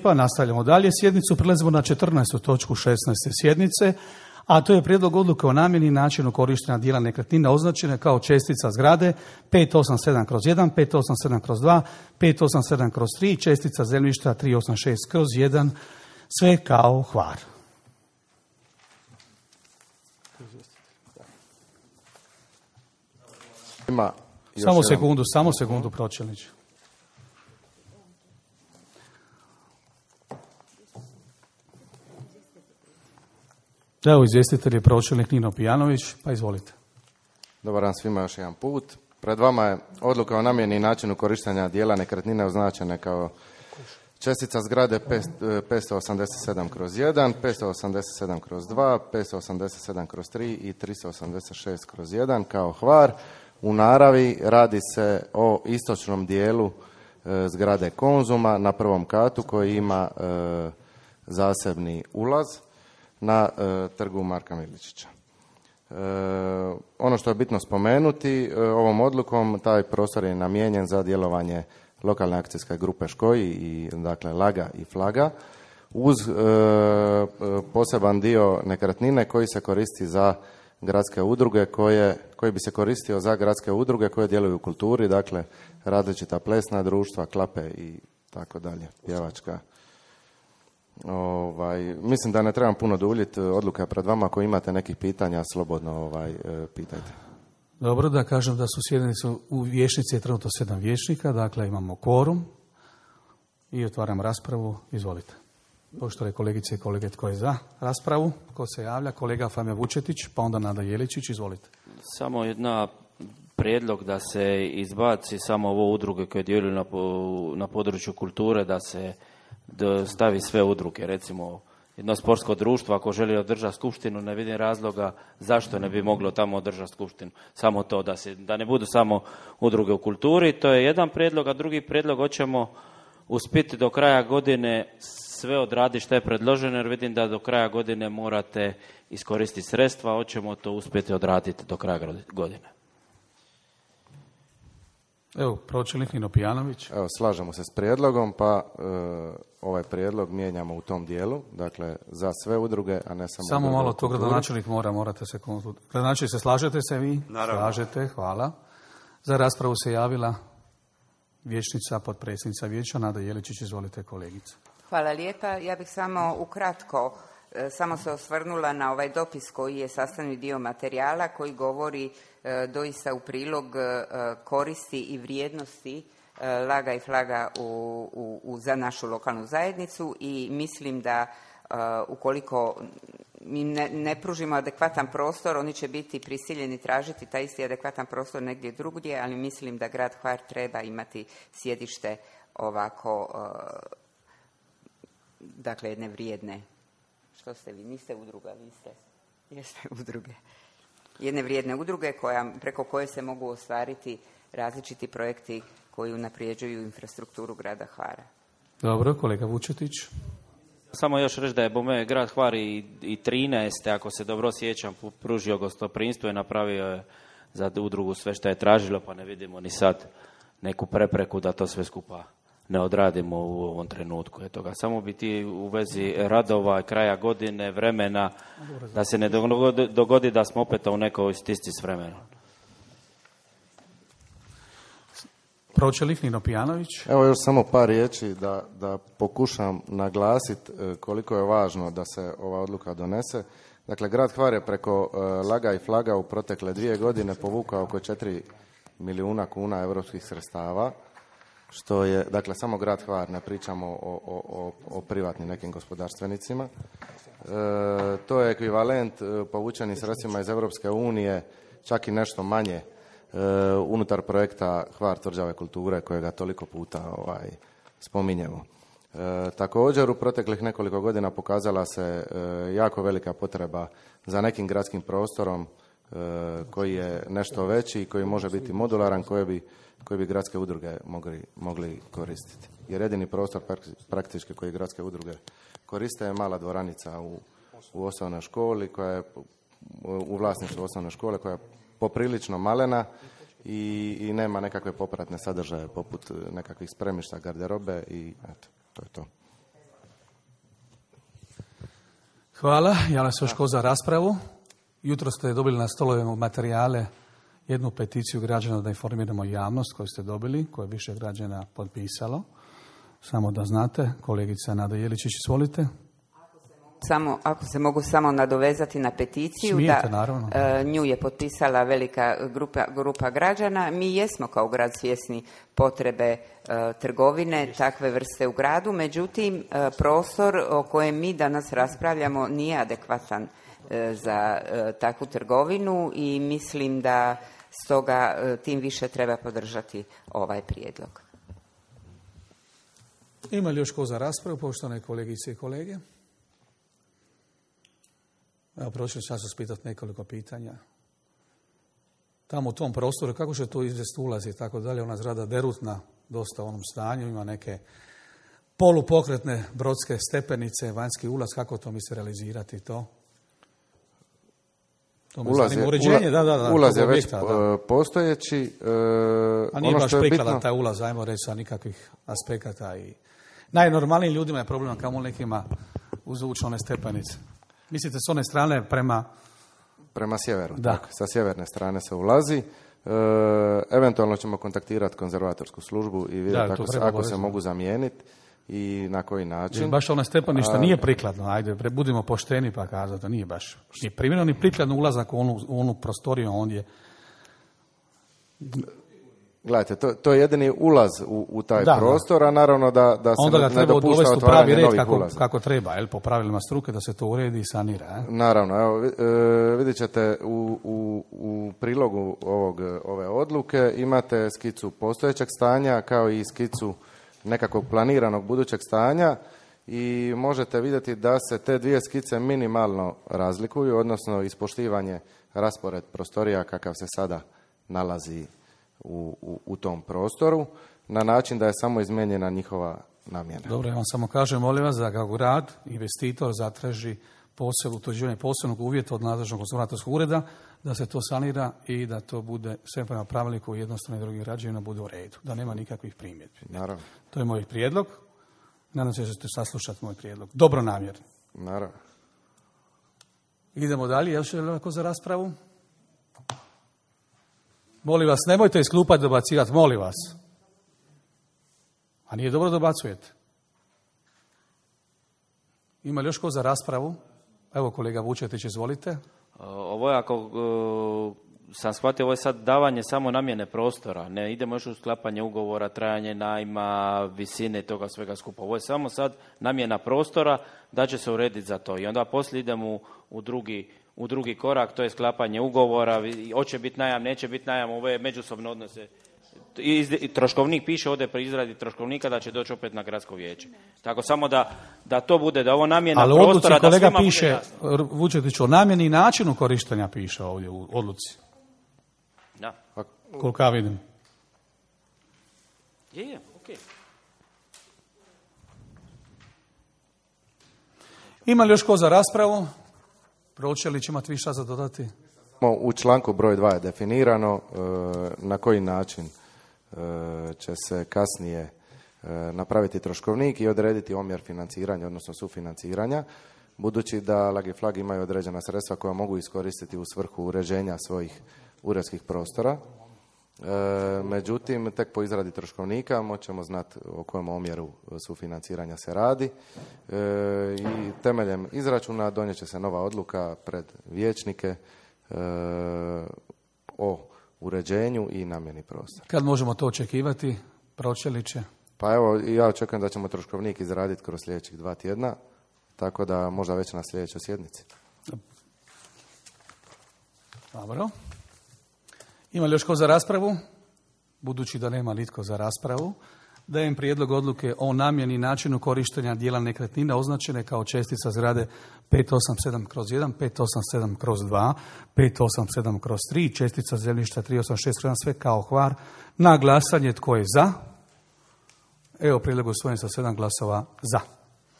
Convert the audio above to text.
Pa nastavljamo dalje sjednicu, prelazimo na 14. točku 16. sjednice, a to je prijedlog odluke o namjeni i načinu korištenja dijela nekretnine označene kao čestica zgrade 587/1, 587/2, 587/3 i čestica zemljišta 386/1, sve kao Hvar. Samo sekundu, pročelniče. Evo, izvjestitelj je pročelnik Nino Pijanović, pa izvolite. Dobar dan svima još jedan put. Pred vama je odluka o namjeni i načinu korištenja dijela nekretnine označene kao čestica zgrade 587/1, 587/2, 587/3 i 386/1 kao Hvar. U naravi radi se o istočnom dijelu zgrade Konzuma na prvom katu koji ima zasebni ulaz na trgu Marka Miličića. Ono što je bitno spomenuti, ovom odlukom taj prostor je namijenjen za djelovanje lokalne akcijske grupe Škoji i dakle Laga i Flaga uz poseban dio nekretnine koji se koristi za gradske udruge koji bi se koristio za gradske udruge koje djeluju u kulturi, dakle različita plesna društva, klape i tako dalje, pjevačka. Mislim da ne trebam puno duljiti, odluka je pred vama, ako imate nekih pitanja slobodno pitajte. Dobro, da kažem da su sjednice u vijećnici je trenutno 7 vijećnika, dakle imamo kvorum i otvaram raspravu, izvolite. Poštovane kolegice i kolege, tko je za raspravu? Tko se javlja? Kolega Fame Vučetić, pa onda Nada Jeličić, izvolite. Samo jedna prijedlog da se izbaci samo ovo udruge koje djeluju na području kulture, da se stavi sve udruge. Recimo, jedno sportsko društvo ako želi održati skupštinu, ne vidim razloga zašto ne bi moglo tamo održati skupštinu. Samo to, da ne budu samo udruge u kulturi. To je jedan prijedlog, a drugi prijedlog hoćemo uspjeti do kraja godine sve odraditi što je predloženo, jer vidim da do kraja godine morate iskoristiti sredstva, hoćemo to uspjeti odraditi do kraja godine. Evo, pročelnik Nino Pijanović. Evo, slažemo se s prijedlogom, pa ovaj prijedlog mijenjamo u tom dijelu, dakle za sve udruge, a ne samo malo to gradonačelnik morate se konzultirati. Gradonačelnik, se slažete se vi? Naravno. Slažete, hvala. Za raspravu se javila vijećnica, potpredsjednica vijeća, Nada Jeličić, izvolite kolegice. Hvala lijepa. Ja bih samo ukratko se osvrnula na ovaj dopis koji je sastavni dio materijala koji govori doista u prilog koristi i vrijednosti Laga i Flaga za našu lokalnu zajednicu i mislim da ukoliko mi ne pružimo adekvatan prostor, oni će biti prisiljeni tražiti taj isti adekvatan prostor negdje drugdje, ali mislim da grad Hvar treba imati sjedište ovako, dakle jedne vrijedne. Što ste vi? Niste udruga, vi jeste udruge. Jedne vrijedne udruge preko koje se mogu ostvariti različiti projekti koji unaprijeđuju infrastrukturu grada Hvara. Dobro, kolega Vučetić. Samo još reći da je bome grad Hvar i 13. ako se dobro sjećam, pružio gostoprimstvo i napravio je za udrugu sve što je tražilo, pa ne vidimo ni sad neku prepreku da to sve skupa ne odradimo u ovom trenutku. Eto ga, samo biti u vezi radova, kraja godine, vremena, da se ne dogodi da smo opet u nekoj stisci s vremenom. Pročelnik Nino Pijanović. Evo još samo par riječi da pokušam naglasiti koliko je važno da se ova odluka donese. Dakle, grad Hvar je preko Laga i Flaga u protekle 2 godine povukao oko 4 milijuna kuna europskih sredstava, što je, dakle, samo grad Hvar, ne pričamo o privatnim nekim gospodarstvenicima. To je ekvivalent povučenim sredstvima iz Europske unije, čak i nešto manje unutar projekta Hvar tvrđave kulture kojega toliko puta spominjemo. Također u proteklih nekoliko godina pokazala se jako velika potreba za nekim gradskim prostorom koji je nešto veći i koji može biti modularan, koji bi gradske udruge mogli koristiti. Jer jedini prostor praktički koji gradske udruge koriste je mala dvoranica u osnovnoj školi koja je u vlasništvu osnovne škole koja je poprilično malena i nema nekakve popratne sadržaje poput nekakvih spremišta, garderobe i eto, to je to. Hvala. Javlja se još ko za raspravu. Jutro ste dobili na stolovima materijale jednu peticiju građana da informiramo javnost koju ste dobili, koju je više građana potpisalo. Samo da znate, kolegica Nada Jeličić, izvolite. Ako se mogu samo nadovezati na peticiju, Smijete, naravno. Nju je potpisala velika grupa građana. Mi jesmo kao grad svjesni potrebe trgovine takve vrste u gradu, međutim prostor o kojem mi danas raspravljamo nije adekvatan za takvu trgovinu i mislim da stoga tim više treba podržati ovaj prijedlog. Ima li još ko za raspravu, poštovane kolegice i kolege? Evo, prošli ću vas pitati nekoliko pitanja. Tamo u tom prostoru, kako će to izvesti ulazi i tako dalje, ona zgrada derutna, dosta u onom stanju, ima neke polupokretne brodske stepenice, vanjski ulaz, kako to misli realizirati to? To me zanima uređenje, ulaz je već postojeći. A nije baš prikladan taj ulaz, ajmo reći, sa nikakvih aspekata. I najnormalnijim ljudima je problem, kamo nekima uzvući one stepenice. Mislite s one strane prema sjeveru. Da. Tak, sa sjeverne strane se ulazi. Eventualno ćemo kontaktirati konzervatorsku službu i vidjeti ako se mogu zamijeniti i na koji način. Jer baš ona stepeništa nije prikladno. Ajde, budimo pošteni pa kazati da nije baš ni primjerno ni prikladno ulazak u onu prostoriju ondje. Gledajte, to je jedini ulaz u taj prostor, a naravno da se onda ga ne dopušta otvaranje novih ulaza. Kako treba, po pravilima struke, da se to uredi i sanira. Naravno, evo, vidjet ćete u prilogu ove odluke imate skicu postojećeg stanja kao i skicu nekakvog planiranog budućeg stanja i možete vidjeti da se te dvije skice minimalno razlikuju, odnosno ispoštivanje raspored prostorija kakav se sada nalazi u tom prostoru, na način da je samo izmijenjena njihova namjena. Dobro, ja vam samo kažem, molim vas, da kao grad, investitor zatraži utvrđivanje posebnog uvjeta od nadležnog konzervatorskog ureda, da se to sanira i da to bude sve prema pravilniku jednostavno i drugih građevina bude u redu, da nema nikakvih primjedbi. Naravno. To je moj prijedlog. Nadam se da ćete saslušati moj prijedlog. Dobro namjerno. Naravno. Idemo dalje. Još je lako za raspravu? Molim vas, nemojte iz klupa dobacivati, molim vas. A nije dobro dobacujete. Ima li još ko za raspravu? Evo kolega Vučetić, izvolite. Ovo je, ako sam shvatio, ovo je sad davanje samo namjene prostora. Ne idemo još u sklapanje ugovora, trajanje najma, visine toga svega skupa. Ovo je samo sad namjena prostora da će se urediti za to. I onda poslije idemo u drugi korak, to je sklapanje ugovora, hoće biti najam, neće biti najam, ove međusobne odnose. I troškovnik piše ovdje pri izradi troškovnika da će doći opet na gradsko vijeće. Tako samo da to bude, da ovo namjena prostora, da svima piše, bude jasno. Vučetić, o namjeni i načinu korištenja piše ovdje u odluci. Da. Koliko ja vidim. Je, okej. Ima li još ko za raspravu? Pročelić, imate više za dodati? U članku broj 2 je definirano na koji način će se kasnije napraviti troškovnik i odrediti omjer financiranja, odnosno sufinanciranja, budući da Lag i Flag imaju određena sredstva koja mogu iskoristiti u svrhu uređenja svojih uredskih prostora. Međutim, tek po izradi troškovnika moćemo znati o kojem omjeru sufinanciranja se radi i temeljem izračuna donijet će se nova odluka pred vijećnike o uređenju i namjeni prostora. Kad možemo to očekivati, Pročeliće? Pa evo, ja očekujem da ćemo troškovnik izraditi kroz sljedećih 2 tjedna, tako da možda već na sljedećoj sjednici. Dobro. Ima li još ko za raspravu? Budući da nema nitko za raspravu, dajem prijedlog odluke o namjeni i načinu korištenja dijela nekretnine označene kao čestica zgrade 587/1, 587/2, 587/3, čestica zemljišta 386/1, sve kao Hvar. Na glasanje tko je za? Evo prijedlog usvojen sa 7 glasova za.